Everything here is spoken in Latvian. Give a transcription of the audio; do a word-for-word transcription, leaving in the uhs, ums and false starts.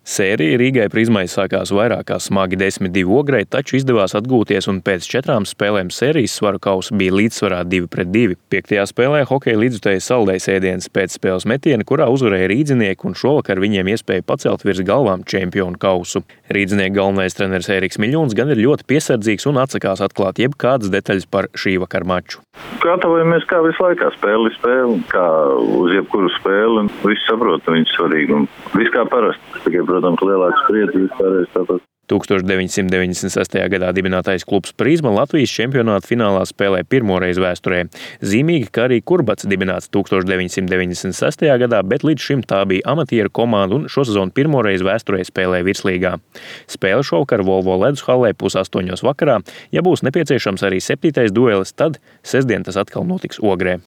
Sērija Rīgai Prizmai sākās vairāk kā smagi desmit divi Ogrei, taču izdevās atgūties un pēc četrām spēlēm sērijas svaru kausa bija līdzsvarā divi pret divi. Piektajā spēlē hokeja līdzutēji saldējs ēdiens pēc spēles metiena, kurā uzvarēja rīdzinieki un šovakar viņiem iespēja pacelt virs galvām čempionu kausu. Rīdzinieku galvenais treneris Ēriks Miļuns gan ir ļoti piesardzīgs un atsakās atklāt jebkādas detaļas par šī vakara maču. Gatavojamies kā visu laikā, spēli spēli, kā uz jebkuru spēli. Visi saprot, ka viņi ir svarīgi un viss kā parasti. Tikai, protams, lielāks spriedzi vispārējais tāpat. tūkstoš deviņsimt deviņdesmit sestajā gadā dibinātais klubs Prizma Latvijas čempionāta finālā spēlē pirmoreiz vēsturē. Zīmīgi, ka arī Kurbats dibināts tūkstoš deviņsimt deviņdesmit sestajā gadā, bet līdz šim tā bija amatieru komanda un šosezon pirmoreiz vēsturē spēlē virslīgā. Spēle šovakar Volvo ledus hallē pusastoņos vakarā. Ja būs nepieciešams arī septītais duelis, tad sestdien tas atkal notiks Ogrē.